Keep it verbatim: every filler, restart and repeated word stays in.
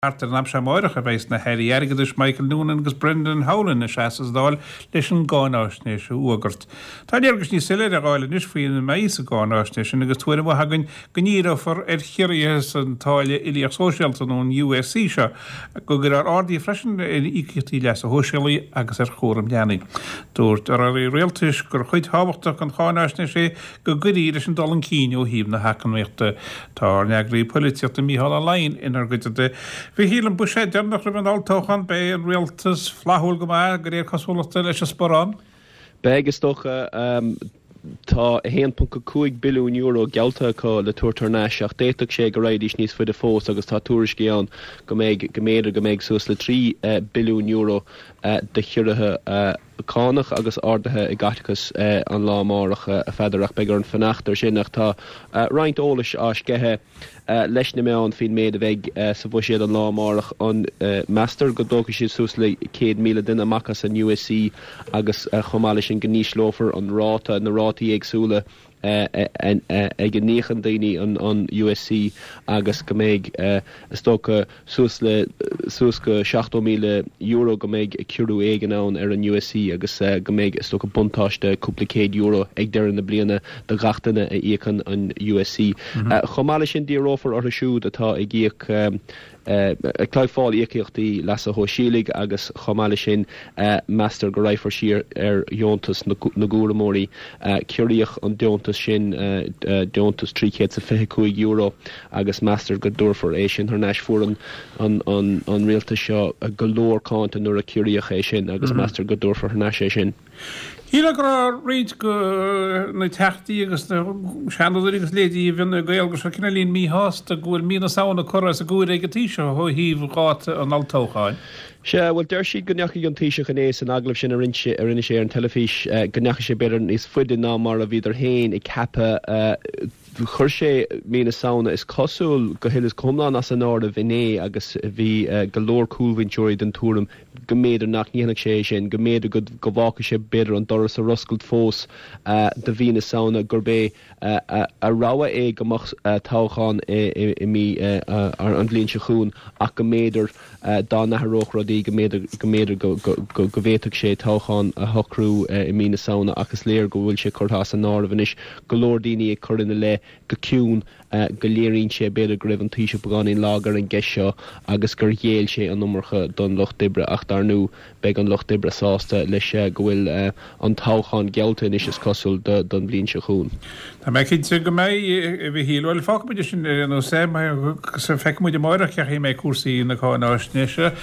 Thart ar an am seo amárach a bheas na hAirí Airgeadais Michael Noonan agus Brendan Howlin ina seasamh sa Dáil leis an gcáináisnéis a fhógairt. Tá léargas níos soiléire á fháil anois faoina mbeidh sa gcáináisnéis sin agus tuairim mhaith againn go ndíreofar ar chiorruithe san táille uilíoch sóisialta nó an U S C seo, go gcuirfear arduithe freisin ar íocaíochtaí leasa shóisialaigh agus ar chúram leanaí. Dúirt urlabhraí rialtais gur chuid thábhachtach den cháináisnéis é go gcuirfí leis an dul chun cinn ó thaobh na heacnamaíochta. Tá ár n-eagraí polaitíochta Mícheál Ó Laighin inár gcuideachta. Mhichíl, an buiséad deireanach roimh an olltoghchán, beidh an rialtas flaithiúil go maith de réir cosúlachta leis an sparán. Beidh, is dócha. Tá a haon ponc a cúig billiún euro geallta acu le tabhairt thar n-ais ach d'fhéadfadh sé go raghaidís níos faide fós agus tá tuairiscí ann go mbeidh, go mb'fhéidir go mbeidh suas le trí billiún euro de chiorruithe cánach agus arduithe i gcaiteachas an lá amárach, a Pheadair, ach beidh orainn fanacht air sin. Ach tá roinnt eolais á sceitheadh leis na meáin faoin méid a bheidh sa bhuiséad an lá amárach. An meastar go dtógfaidh siad suas le céad míle duine amach as an U S C agus chomh maith leis sin go n-ísleofar an ráta, na rátaí éagsúla ag a n-íocann daoine an U S C agus go mbeidh, is dócha, suas le suas go seachtó míle euro go mbeidh ciorrú éigin ann ar an U S C agus go mbeidh, is dócha, buntáiste cúpla céad euro ag deireadh na bliana do gach duine a íocann an U S C. Chomh maith leis sin díreofar orthu siúd atá ag íoc ag fáil íocaíochtaí leasa shóisialaigh agus chomh maith leis sin meastar go raghfar siar ar dheontas na gcúramóirí. Ciorraíodh an deontas sin, deontas trí chéad is a fiche cúig euro, agus meastar go dtabharfar é sin thar n-ais. Fuair an an rialtas seo go leor cáinte nuair a ciorraíodh é sin agus meastar go dtabharfar thar n-ais é sin. Shílfeá go raibh roinnt de na teachtaí agus na seanadóirí agus leithéidí i bhFine Gael go raibh cineáilín míshásta go bhfuil mí na Samhna curtha as an gcomhaireamh ag an Taoiseach ó thaobh dháta an olltoghcháin. Sea, bhuel, deir siad go ndeachaigh an Taoiseach inné san agallamh sin a rinne sé a rinne sé ar an teilifís, go ndeachaigh sé b'fhéidir níos faide ná mar a bhíodar féin ag ceapadh. Chuir sé mí na Samhna, is cosúil, go huile is go hiomlán as an áireamh inné agus bhí go leor cúlbhinseoirí den tuairim go mb'fhéidir nach ndéanfadh sé é sin, go mb'fhéidir go go bhfágfadh sé b'fhéidir an doras ar oscailt fós do mhí na Samhna, gurb é a rogha é go mbeadh toghchán i mí an bhliain seo chugainn ach go mb'fhéidir dá n-athródh rudaí go mb'fhéidir go mb'fhéidir go go go bhféadfadh sé toghchán a shocrú i mí na Samhna ach is léir go bhfuil sé curtha as an áireamh anois. Go leor daoine ag cur ina leith go ciúin go léiríonn sé b'fhéidir go raibh an Taoiseach beagáinín lag ar an gceist seo agus gur ghéill sé an iomarca don Lucht Oibre ach dar ndóigh beidh an Lucht Oibre sásta leis go bhfuil an toghchán geallta anois, is cosúil, don bhliain seo chugainn. Tá mé cinnte go mbeidh, a Mhichíl. Bhuel, fágfaimid sin ar aon nós é, agus feicfimid amárach cén chaoi a mbeidh cúrsaí na cáináisnéise.